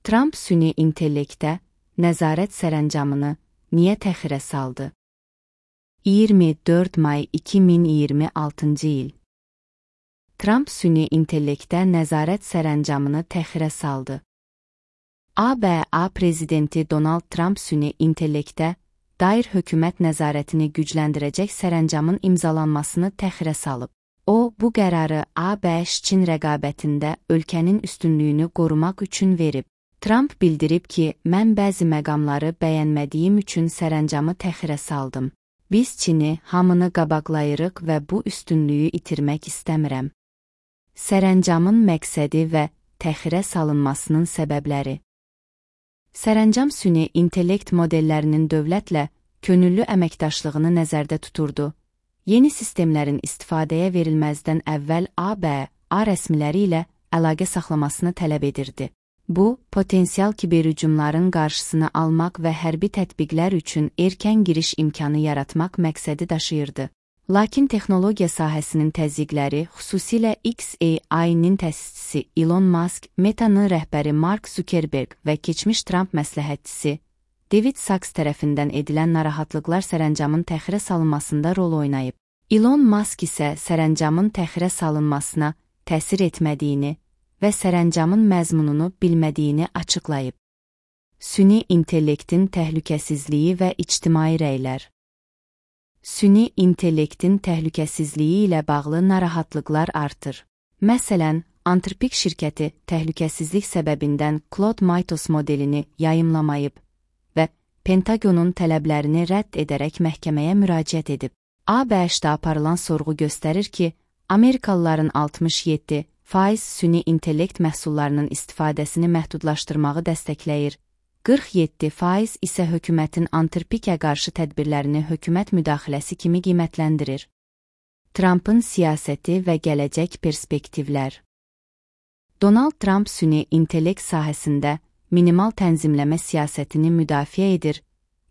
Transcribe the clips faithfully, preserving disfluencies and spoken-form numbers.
Tramp süni intellektə nəzarət sərəncamını niyə təxirə saldı? iyirmi dörd may iki min iyirmi altıncı il. Tramp süni intellektə nəzarət sərəncamını təxirə saldı. A B A prezidenti Donald Trump süni intellektə dair hökumət nəzarətini gücləndirəcək sərəncamın imzalanmasını təxirə salıb. O, bu qərarı A B Ş-Çin rəqabətində ölkənin üstünlüyünü qorumaq üçün verib. Trump bildirib ki, mən bəzi məqamları bəyənmədiyim üçün sərəncamı təxirə saldım. Biz Çini hamını qabaqlayırıq və bu üstünlüyü itirmək istəmirəm. Sərəncamın məqsədi və təxirə salınmasının səbəbləri. Sərəncam süni intellekt modellərinin dövlətlə könüllü əməkdaşlığını nəzərdə tuturdu. Yeni sistemlərin istifadəyə verilməzdən əvvəl A B A rəsmiləri ilə əlaqə saxlamasını tələb edirdi. Bu, potensial kiberhücumların qarşısını almaq və hərbi tətbiqlər üçün erkən giriş imkanı yaratmaq məqsədi daşıyırdı. Lakin texnologiya sahəsinin təzyiqləri, xüsusilə X A I-nin təsisçisi Elon Musk, Meta'nın rəhbəri Mark Zuckerberg və keçmiş Trump məsləhətçisi David Sacks tərəfindən edilən narahatlıqlar sərəncamın təxirə salınmasında rol oynayıb. Elon Musk isə sərəncamın təxirə salınmasına təsir etmədiyini və sərəncamın məzmununu bilmədiyini açıqlayıb. Süni intellektin təhlükəsizliyi və ictimai rəylər. Süni intellektin təhlükəsizliyi ilə bağlı narahatlıqlar artır. Məsələn, Anthropic şirkəti təhlükəsizlik səbəbindən Claude Mythos modelini yayımlamayıb və Pentagonun tələblərini rədd edərək məhkəməyə müraciət edib. A B Ş-də aparılan sorğu göstərir ki, Amerikalıların altmış yeddi faiz süni intellekt məhsullarının istifadəsini məhdudlaşdırmağı dəstəkləyir, qırx yeddi faiz isə hökumətin Anthropicə qarşı tədbirlərini hökumət müdaxiləsi kimi qiymətləndirir. Trumpın siyasəti və gələcək perspektivlər. Donald Trump süni intellekt sahəsində minimal tənzimləmə siyasətini müdafiə edir,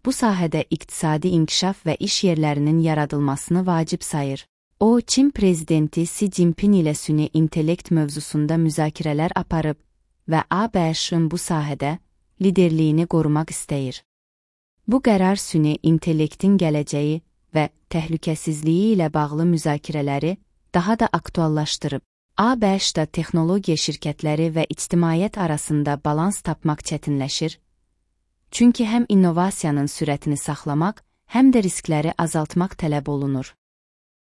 bu sahədə iqtisadi inkişaf və iş yerlərinin yaradılmasını vacib sayır. O, Çin prezidenti Xi Jinping ilə süni intellekt mövzusunda müzakirələr aparıb və A B Ş-ın bu sahədə liderliyini qorumaq istəyir. Bu qərar süni intellektin gələcəyi və təhlükəsizliyi ilə bağlı müzakirələri daha da aktuallaşdırıb. A B Ş-da texnologiya şirkətləri və ictimaiyyət arasında balans tapmaq çətinləşir, çünki həm innovasiyanın sürətini saxlamaq, həm də riskləri azaltmaq tələb olunur.